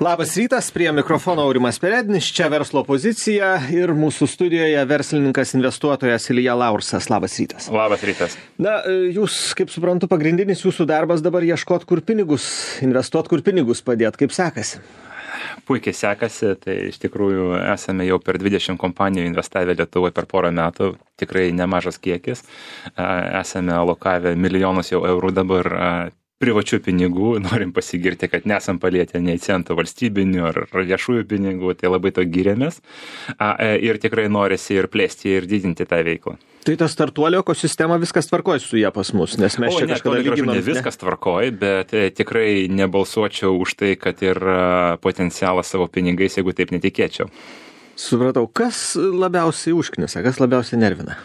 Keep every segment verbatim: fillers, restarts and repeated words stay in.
Labas rytas, prie mikrofono Aurimas Perednis, čia verslo pozicija ir mūsų studijoje verslininkas, investuotojas Ilja Laursas. Labas rytas. Labas rytas. Na, jūs, kaip suprantu, pagrindinis jūsų darbas dabar ieškot, kur pinigus, investuot, kur pinigus padėt. Kaip sekasi? Puikiai sekasi, tai iš tikrųjų esame jau per dvidešimt kompanijų investavę Lietuvoje per porą metų, tikrai nemažas kiekis. Esame alokavę milijonus jau eurų dabar privačių pinigų, norim pasigirti, kad nesam palietę nei centų valstybinių ar viešųjų pinigų, tai labai to giriamės. Ir tikrai norisi ir plėsti ir didinti tą veiklą. Tai ta startuolio ekosistema viskas tvarkoj su ją pas mus, nes mes o, čia ne, kažkada lyginom. Ne viskas tvarkoj, bet tikrai nebalsuočiau už tai, kad ir potencialą savo pinigais, jeigu taip netikėčiau. Supratau, kas labiausiai užknisa, kas labiausiai nervina?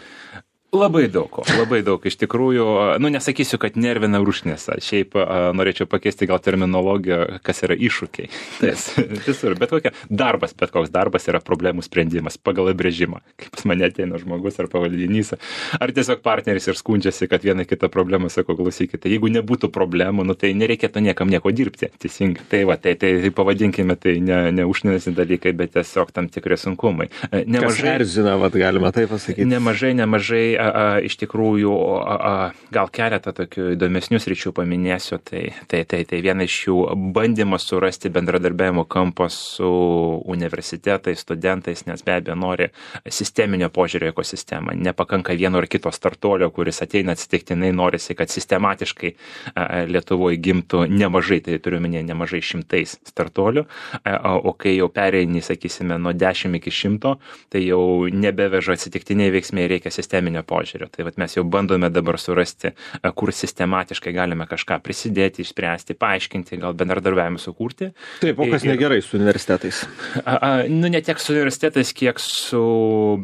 Labai daug, labai daug. Iš tikrųjų, nu nesakysiu, kad nervina užknisa. Šiaip a, norėčiau pakeisti gal terminologiją, kas yra iššūkiai. Nes visur, bet kokia darbas, bet koks darbas yra problemų sprendimas pagal apibrėžimą. Kaip pas mane ateina žmogus ar pavaldinys, ar tiesiog partneris ir skundžiasi, kad vieną kitą problemą sako, klausykite, jeigu nebūtų problemų, nu tai nereikėtų niekam nieko dirbti. Teisingai. Tai va, tai, tai, tai pavadinkime, tai ne, ne užknisantys dalykai, bet tiesiog tam tikri sunkumai. Nemažai, kas erzina, vat, galima tai pasakyti. Nemažai, nemažai A, a, iš tikrųjų, a, a, gal keletą tokių įdomesnių sričių paminėsiu, tai, tai, tai, tai viena iš jų bandymas surasti bendradarbiavimo kampą su universitetais, studentais, nes be abejo nori sisteminio požiūrio ekosistemą. Nepakanka vieno ar kito startuolio, kuris ateina atsitiktinai, norisi, kad sistematiškai a, Lietuvoje gimtų nemažai, tai turiu minėti nemažai šimtais startuolių, a, o kai jau pereini, sakysime, nuo dešimt iki šimto, tai jau nebeveža atsitiktiniai veiksmai, reikia sisteminio požiūrio. Tai vat mes jau bandome dabar surasti, kur sistematiškai galime kažką prisidėti, išspręsti, paaiškinti, gal bendradarbiavimą sukurti. Taip, o kas ir, negerai su universitetais? A, a, nu, ne tiek su universitetais, kiek su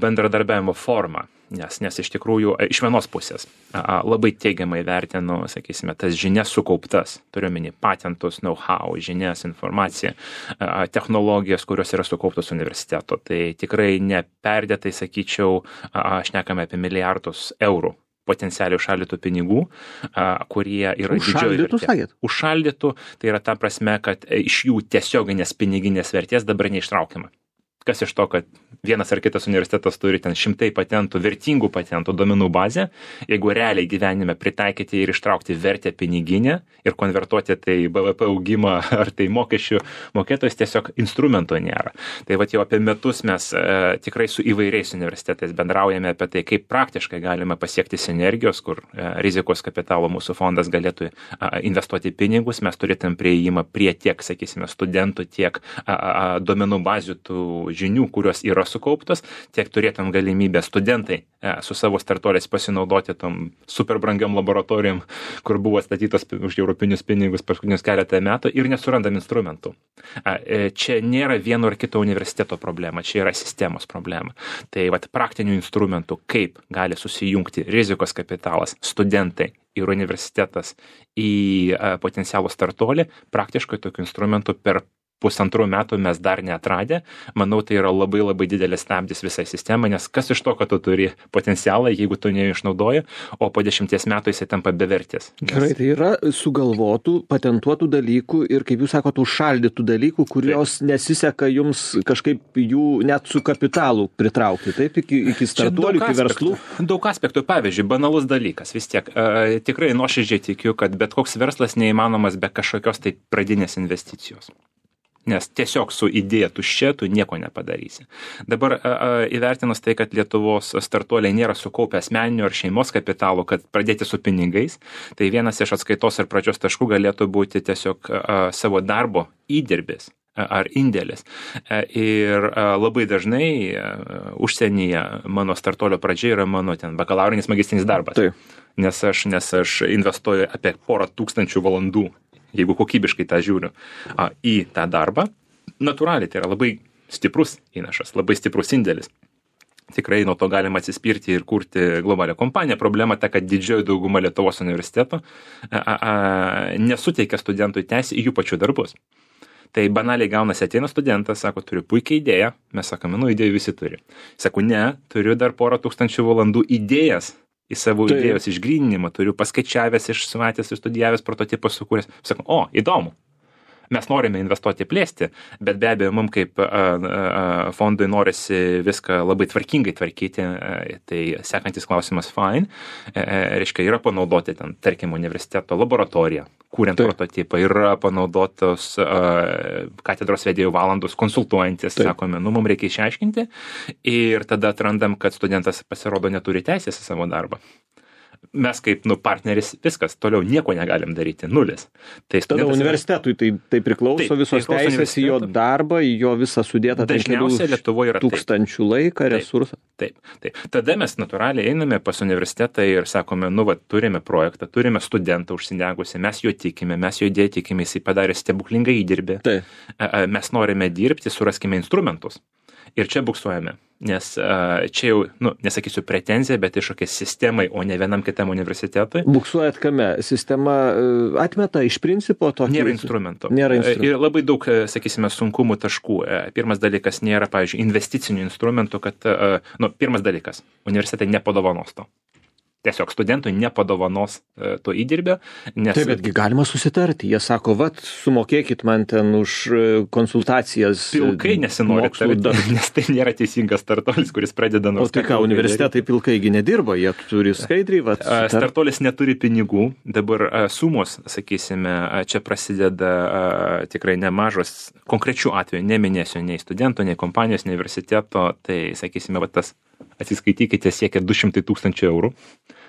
bendradarbiavimo forma. Nes, nes iš tikrųjų, iš vienos pusės a, labai teigiamai vertinu, sakysime, tas žinias sukauptas, turiu omeny patentus, know-how, žinias, informaciją, a, technologijas, kurios yra sukauptos universiteto. Tai tikrai neperdėtai, sakyčiau, a, aš nekame apie milijardus eurų potencialiai užšaldytų pinigų, a, kurie yra didžioji vertė. Užšaldytų, tai yra ta prasme, kad iš jų tiesioginės piniginės vertės dabar neištraukiama. Kas iš to, kad vienas ar kitas universitetas turi ten šimtai patentų, vertingų patentų, duomenų bazę, jeigu realiai gyvenime pritaikyti ir ištraukti vertę piniginę ir konvertuoti tai B V P augimą ar tai mokesčių mokėtojus, tiesiog instrumento nėra. Tai vat jau apie metus mes e, tikrai su įvairiais universitetais bendraujame apie tai, kaip praktiškai galime pasiekti sinergijos, kur e, rizikos kapitalo mūsų fondas galėtų e, investuoti pinigus, mes turėtum prieimą prie tiek, sakysime, studentų, tiek a, a, duomenų bazių tų žinių, kurios yra sukauptos, tiek turėtum galimybę studentai e, su savo startuoliais pasinaudoti tom super brangiam laboratorijom, kur buvo statytos už europinius pinigus paskutinius keletą metų ir nesurandam instrumentų. E, čia nėra vieno ar kito universiteto problema, čia yra sistemos problema. Tai vat praktinių instrumentų, kaip gali susijungti rizikos kapitalas, studentai ir universitetas į e, potencialų startuolį, praktiškai tokių instrumentų per pusantrų metų mes dar neatradę. Manau, tai yra labai labai didelis stabdis visai sistemai, nes kas iš to, kad tu turi potencialą, jeigu tu neišnaudoji, o po dešimties metų jisai tampa bevertis. Gerai, tai yra sugalvotų, patentuotų dalykų ir, kaip jūs sakote, užšaldytų dalykų, kurios taip nesiseka jums kažkaip jų net su kapitalu pritraukti, taip, iki, iki startuolių, iki verslų. Daug aspektų, pavyzdžiui, banalus dalykas, vis tiek. E, tikrai nuoširdžiai tikiu, kad bet koks verslas neįmanomas be kažkokios tai pradinės investicijos. Nes tiesiog su idėja tuščia tu nieko nepadarysi. Dabar a, a, įvertinus tai, kad Lietuvos startuoliai nėra sukaupę asmeninio ar šeimos kapitalo, kad pradėti su pinigais, tai vienas iš atskaitos ir pradžios taškų galėtų būti tiesiog a, savo darbo įdirbis ar indėlis. Ir labai dažnai užsienyje mano startuolio pradžia yra mano ten bakalaurinis magistrinis darbas. Taip. Nes aš, nes aš investuoju apie porą tūkstančių valandų, jeigu kokybiškai tą žiūriu, a, į tą darbą. Natūraliai tai yra labai stiprus įnašas, labai stiprus indėlis. Tikrai nuo to galima atsispirti ir kurti globalią kompaniją. Problema ta, kad didžioji dauguma Lietuvos universitetų a, a, nesuteikia studentui teisę į jų pačių darbus. Tai banaliai gaunasi, ateina studentas, sako, turiu puikią idėją, mes sakome, nu, idėjų visi turi. Sako, ne, turiu dar porą tūkstančių valandų idėjas į savo tai idėjos išgryninimą, turiu paskaičiavęs, išsimatęs, išstudijavęs, prototipą sukūręs. Sako, o, įdomu. Mes norime investuoti plėsti, bet be abejo, mums kaip a, a, fondui norisi viską labai tvarkingai tvarkyti, a, tai sekantis klausimas fine, a, reiškia, yra panaudoti ten, tarkim, universiteto laboratoriją, kuriant Taip. prototipą, yra panaudotos a, katedros vedėjų valandos konsultuojantis, Taip. sakome, nu, mums reikia išaiškinti ir tada atrandam, kad studentas pasirodo neturi teisės į savo darbą. Mes kaip nu, partneris viskas, toliau nieko negalim daryti, nulis. Tai tada universitetui tai, tai priklauso taip, visos tai teisės į jo darbą, į jo visą sudėtą dažniausiai Lietuvoje yra tūkstančių laiką, resursą. Taip, taip. Tada mes natūraliai einame pas universitetą ir sakome, nu, va, turime projektą, turime studentą užsidegusi, mes jo tikime, mes jo idėją tikime, jisai padarė stebuklingą įdirbį. Taip. Mes norime dirbti, suraskime instrumentus. Ir čia buksuojame, nes uh, čia jau, nu, nesakysiu pretenzija, bet iššūkis sistemai, o ne vienam kitam universitetui. Buksuojat kame? Sistema uh, atmeta iš principo tokį... Nėra instrumento. Nėra instrumento. Ir labai daug, sakysime, sunkumų taškų. Pirmas dalykas, nėra, pavyzdžiui, investicinių instrumentų, kad, uh, nu, pirmas dalykas, universitetai nepadovanos to. Tiesiog studentui nepadovanos e, to įdirbio. Nes... Taip, betgi galima susitarti. Jie sako, vat, sumokėkit man ten už konsultacijas. Pilkai nesinori tarti, nes tai nėra teisingas startuolis, kuris pradeda nors... O tai ką, universitetai pilkaigi nedirba, jie turi skaidriai, vat. Sutar... Startuolis neturi pinigų, dabar a, sumos, sakysime, a, čia prasideda a, tikrai nemažos, konkrečių atvejų, neminėsiu nei studento, nei kompanijos, nei universiteto, tai, sakysime, va tas atsiskaitykite siekia du šimtai tūkstančių eurų.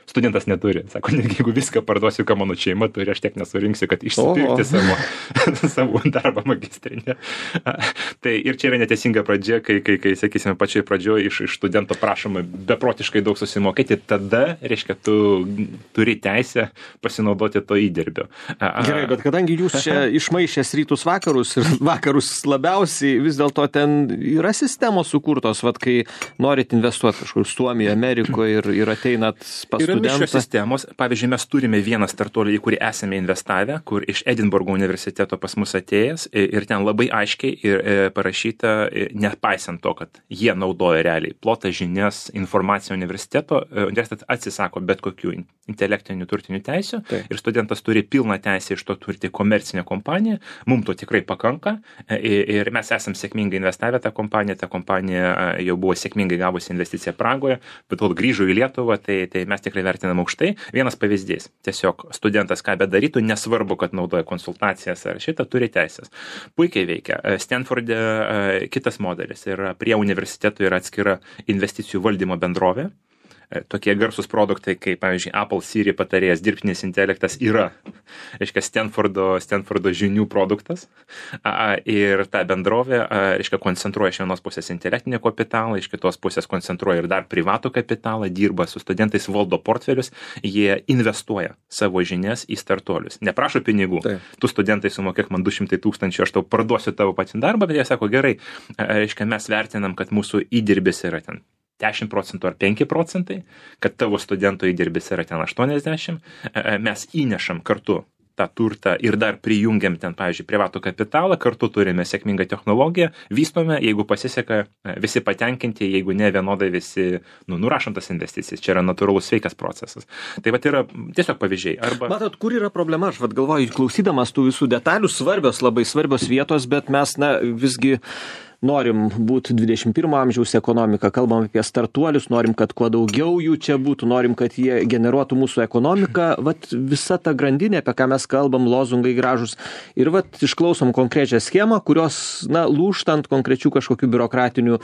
Studentas neturi. Sako, negi jeigu viską parduosiu, ką mano šeima turi, aš tiek nesurinksiu, kad išsipirkti savo, savo darbą magistrinę. Tai ir čia yra neteisinga pradžia, kai, kai, kai sakysime, pačioj pradžioje iš, iš studento prašoma beprotiškai daug susimokėti, tada, reiškia, tu turi teisę pasinaudoti to įdirbio. Gerai, bet kadangi jūs čia išmaišęs rytus vakarus ir vakarus labiausiai, vis dėlto ten yra sistemos sukurtos, vat, kai norit investuoti kažkur Suomijoje, Amerikoje ir, ir ateinat pas yra mišrios sistemos. Pavyzdžiui, mes turime vieną startuolį, į kurį esame investavę, kur iš Edinburgo universiteto pas mus atėjęs ir ten labai aiškiai ir parašyta, nepaisant to, kad jie naudoja realiai plotą žinias, informaciją universiteto, universitetas atsisako bet kokių intelektinių turtinių teisių Taip. Ir studentas turi pilną teisę iš to turti komercinę kompaniją. Mums to tikrai pakanka ir mes esam sėkmingai investavę tą kompaniją. Ta kompanija jau buvo sėkmingai gavusi investiciją Pragoje, bet kol grįžo į Lietuvą, tai, tai mes tikrai vertinam aukštai. Vienas pavyzdys. Tiesiog studentas ką bedarytų, nesvarbu, kad naudoja konsultacijas ar šitą, turi teisės. Puikiai veikia. Stanforde kitas modelis ir prie universitetų yra atskira investicijų valdymo bendrovė. Tokie garsus produktai, kaip, pavyzdžiui, Apple Siri patarėjas dirbtinis intelektas yra, reiškia, Stanfordo, Stanfordo žinių produktas. A, ir ta bendrovė, a, reiškia, koncentruoja iš vienos pusės intelektinį kapitalą, iš kitos pusės koncentruoja ir dar privatų kapitalą, dirba su studentais, valdo portfelius, jie investuoja savo žinias į startuolius. Neprašo pinigų. Taip. Tu studentai sumokėk man du šimtai tūkstančių, aš tau parduosiu tavo patį darbą, bet jie sako, gerai, a, reiškia, mes vertinam, kad mūsų įdirbis yra ten dešimt procentų ar penki procentai, kad tavo studento įdirbis yra ten aštuoniasdešimt, mes įnešam kartu tą turtą ir dar prijungiam ten, pavyzdžiui, privatų kapitalą, kartu turime sėkmingą technologiją, vystome, jeigu pasiseka, visi patenkinti, jeigu ne vienodai visi, nu, nurašom tas investicijas. Čia yra natūralus sveikas procesas. Tai vat yra tiesiog pavyzdžiai. Arba... Matot, kur yra problema? Aš vat galvoju, klausydamas tų visų detalių, svarbios, labai svarbios vietos, bet mes, na, visgi norim būt dvidešimt pirmo amžiaus ekonomika, kalbam apie startuolius, norim, kad kuo daugiau jų čia būtų, norim, kad jie generuotų mūsų ekonomiką, vat visa ta grandinė, apie ką mes kalbam, lozungai gražus. Ir vat išklausom konkrečią schemą, kurios, na, lūžtant konkrečių kažkokių biurokratinių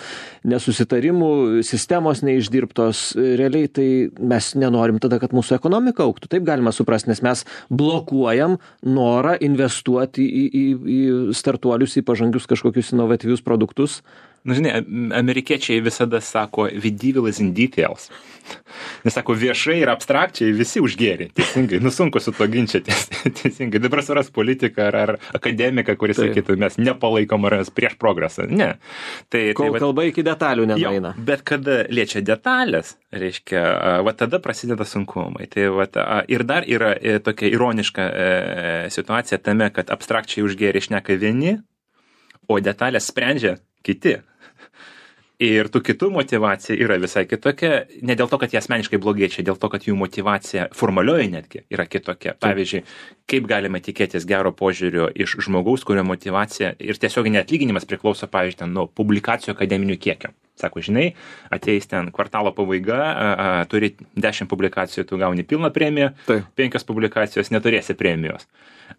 nesusitarimų, sistemos neišdirbtos, realiai tai mes nenorim tada, kad mūsų ekonomika augtų. Taip galima suprasti, nes mes blokuojam norą investuoti į, į, į startuolius, į pažangius kažkokius inovatyvius produktus. Nu, žinai, amerikiečiai visada sako, the devil is in details. Nes sako, viešai ir abstrakčiai visi užgėrė, teisingai, nu sunku su to ginčytis, teisingai. Dabar suras politiką ar, ar akademiką, kuris tai sakytų, mes nepalaikom ar prieš progresą. Ne. Tai, Kol tai, kalba iki detalių nenueina. Bet kada liečia detalės, reiškia, va tada prasideda sunkumai. Tai, va, ir dar yra tokia ironiška e, situacija tame, kad abstrakčiai užgėrė šneka vieni, o detalės sprendžia kiti. Ir tų kitų motivacija yra visai kitokia, ne dėl to, kad jie asmeniškai blogiečiai, dėl to, kad jų motivacija formalioji netgi yra kitokia. Pavyzdžiui, kaip galima tikėtis gero požiūrio iš žmogaus, kurio motivacija ir tiesiogiai atlyginimas priklauso, pavyzdžiui, nuo publikacijų akademinių kiekio. Sako, žinai, ateis ten kvartalo pabaiga, a, a, turi dešimt publikacijų, tu gauni pilną premiją, tai. penkios publikacijos neturėsi premijos.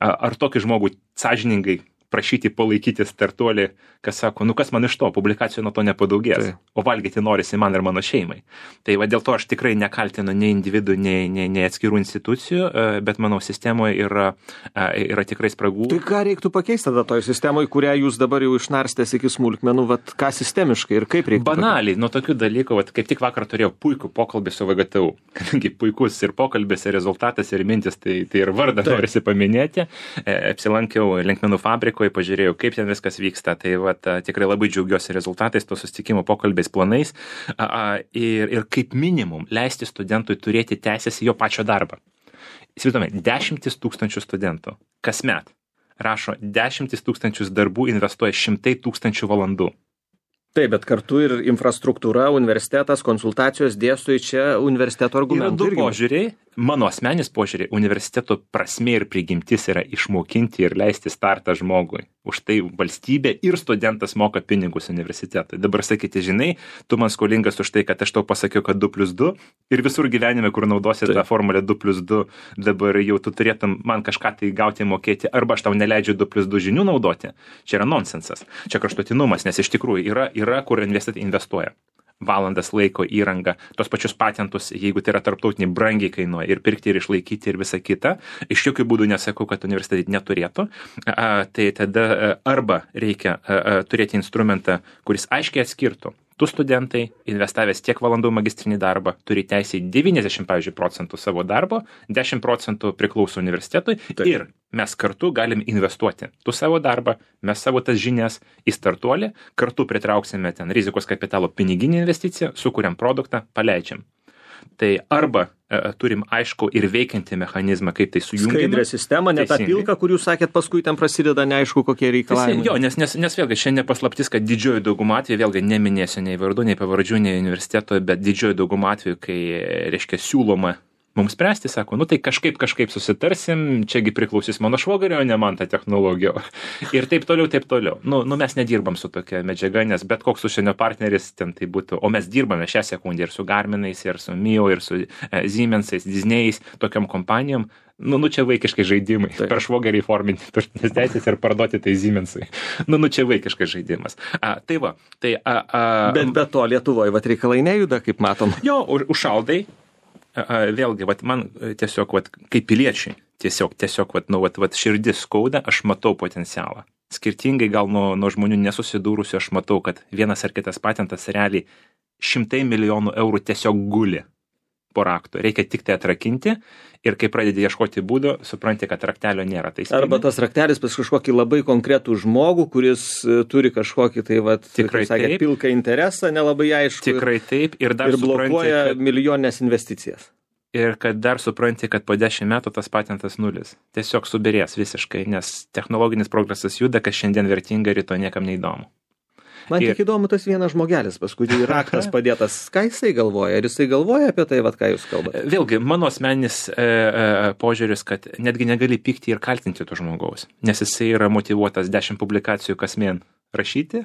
A, ar tokį žmogų sąžiningai prašyti palaikyti startuolį, kas sako, nu kas man iš to, publikacijų nuo to nepadaugės, tai. O valgyti norisi man ir mano šeimai. Tai va dėl to aš tikrai nekaltinu nei individų, nei, nei, nei atskirų institucijų, bet manau, sistemoje yra, yra tikrai spragų. Tai ką reiktų pakeisti tada toj sistemoje, kurią jūs dabar jau išnarstės iki smulkmenų, vat ką sistemiškai ir kaip reiktų? Banaliai, nuo tokių dalykų, vat kaip tik vakar turėjau puikų pokalbį su V G T U, kadangi puikus ir pokalbis, ir rezultatas, ir mintis, tai, tai ir vardą tai. Norisi paminėti. Apsilankiau Linkmenų fabrikoje, pažiūrėjau, kaip ten viskas vyksta, tai vat, tikrai labai džiaugiuosi rezultatais, to susitikimo pokalbiais, planais a, a, ir, ir kaip minimum leisti studentui turėti teisės į jo pačio darbą. Įsivaizduojame, dešimtis tūkstančių studentų kasmet rašo dešimtis tūkstančius darbų, investuoja šimtai tūkstančių valandų. Taip, bet kartu ir infrastruktūra, universitetas, konsultacijos, dėstytojai, čia universiteto argumentai. Yra du požiūriai. Mano asmenis požiūriai, universiteto prasmė ir prigimtis yra išmokinti ir leisti startą žmogui. Už tai valstybė ir studentas moka pinigus universitetui. Dabar sakyti, žinai, tu man skolingas už tai, kad aš tau pasakiau, kad du plius du ir visur gyvenime, kur naudosi tą formulę du plius du, dabar jau tu turėtum man kažką tai gauti mokėti, arba aš tau neleidžiu du plius du žinių naudoti. Čia yra nonsensas. Čia kraštutinumas, nes iš tikrųjų yra, yra kur universitetai investuoja. Valandas laiko įrangą, tos pačius patentus, jeigu tai yra tarptautiniai, brangiai kainuoja ir pirkti, ir išlaikyti, ir visa kita. Iš jokių būdų nesakau, kad universitetai neturėtų. A, tai tada arba reikia a, a, turėti instrumentą, kuris aiškiai atskirtų. Tu studentai, investavęs tiek valandų magistrinį darbą, turi teisę į devyniasdešimt, pavyzdžiui, procentų savo darbo, dešimt procentų priklauso universitetui. Taip. Ir mes kartu galim investuoti. Tu savo darbą, mes savo tas žinias į startuolį, kartu pritrauksime ten rizikos kapitalo piniginį investiciją, sukuriam produktą, paleidžiam. Tai arba e, turim aišku ir veikiantį mechanizmą, kaip tai sujungiame. Skaidrę sistemą, ne tą pilką, kur jūs sakėt, paskui ten prasideda neaišku, kokie reikalavimai. Jo, nes, nes, nes vėlgi šiandien paslaptis, kad didžioji dauguma atveju, vėlgi neminėsiu nei vardų, nei pavardžių, nei universiteto, bet didžioji dauguma atveju, kai, reiškia, siūloma mums spręsti, sako, nu tai kažkaip kažkaip susitarsim, čiagi priklausys mano švogerio, ne man ta technologija. Ir taip toliau, taip toliau. Nu, nu mes nedirbam su tokia medžiaga, nes bet koks užsienio partneris ten tai būtų, o mes dirbame šią sekundę ir su Garminais, ir su Mio, ir su e, Siemensais, Disney'ais, tokiam kompanijom. Nu, nu čia vaikiškai žaidimai. Taip. Per švogerį forminti turtinės teisės ir parduoti tai Siemensui. Nu, nu čia vaikiškai žaidimas. A, tai va, tai... A, a, bet be to Lietuvoje, vat reikalai nejuda, kaip matom. Jo, užšaldai. Vėlgi, vat, man tiesiog, vat, kaip piliečiai, tiesiog, tiesiog vat, nu, vat, vat, širdis skauda, aš matau potencialą. Skirtingai gal nuo, nuo žmonių nesusidūrusių, aš matau, kad vienas ar kitas patentas realiai šimtai milijonų eurų tiesiog guli po raktu. Reikia tik tai atrakinti ir kai pradedi ieškoti būdų, supranti, kad raktelio nėra. Tai arba tas raktelis pas kažkokį labai konkretų žmogų, kuris turi kažkokį tai, vat, tikrai sakė, pilką interesą, nelabai aišku. Tikrai taip. Ir dar ir blokuoja supranti, kad... milijoninės investicijas. Ir kad dar supranti, kad po dešimt metų tas patentas nulis. Tiesiog subirės visiškai, nes technologinis progresas juda, kas šiandien vertinga, rytoj niekam neįdomu. Man ir... tik įdomu tas vienas žmogelis, paskui raktas padėtas. Ką jisai galvoja? Ar jisai galvoja apie tai, vat, ką jūs kalbate? Vėlgi, mano asmeninis e, e, požiūris, kad netgi negali pykti ir kaltinti to žmogaus, nes jisai yra motyvuotas dešimt publikacijų kasmien rašyti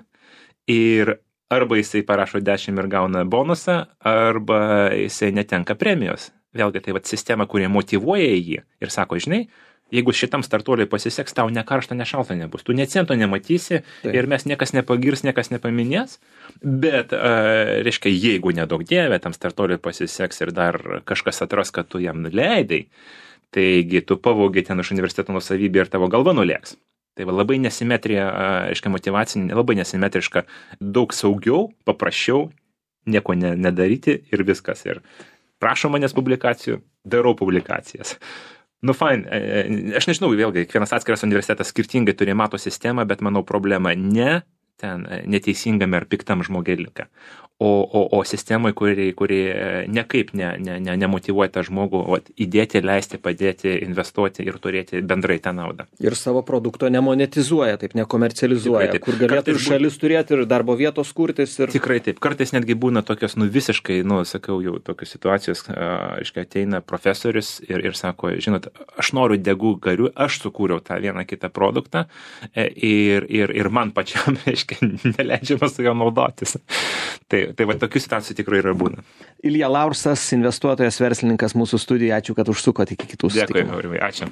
ir arba jisai parašo dešimt ir gauna bonusą, arba jisai netenka premijos. Vėlgi, tai vat sistema, kurie motyvuoja jį ir sako, žinai, jeigu šitam startuoliui pasiseks, tau ne karšta, ne šalta nebus. Tu net cento nematysi. Taip. Ir mes niekas nepagirs, niekas nepaminės. Bet, uh, reiškia, jeigu nedaug dievė, tam startuoliui pasiseks ir dar kažkas atras, kad tu jam nuleidai, taigi tu pavogi ten iš universiteto nusavybę ir tavo galva nulėks. Tai va, labai nesimetrija, uh, reiškia, motyvacinė, labai nesimetriška, daug saugiau, paprasčiau, nieko ne, nedaryti ir viskas. Ir prašo manęs publikacijų, darau publikacijas. Nu, fine, aš nežinau, vėlgi, kiekvienas atskiras universitetas skirtingai turi mato sistemą, bet manau problema ne ten neteisingame ar piktam žmogeliuke, o, o, o sistemai, kuri, kuri nekaip ne, ne, ne, nemotyvuoja tą žmogų vat, įdėti, leisti, padėti, investuoti ir turėti bendrai tą naudą. Ir savo produkto nemonetizuoja, taip nekomercializuoja, taip, kur galėtų ir šalis turėti, ir darbo vietos kurtis. Ir... Tikrai taip. Kartais netgi būna tokios, nu visiškai, nu, sakau, jau tokios situacijos, aiškiai, ateina profesorius ir, ir sako, žinot, aš noriu degų garių, aš sukūriau tą vieną kitą produktą ir, ir, ir man pačiam, aiškiai, neleidžiama su juo naudotis. Tai, tai va, tokių situacijų tikrai yra būna. Ilja Laursas, investuotojas, verslininkas mūsų studijoje. Ačiū, kad užsukote iki kitų susitikimų. Dėkui, Aurimai, ačiū.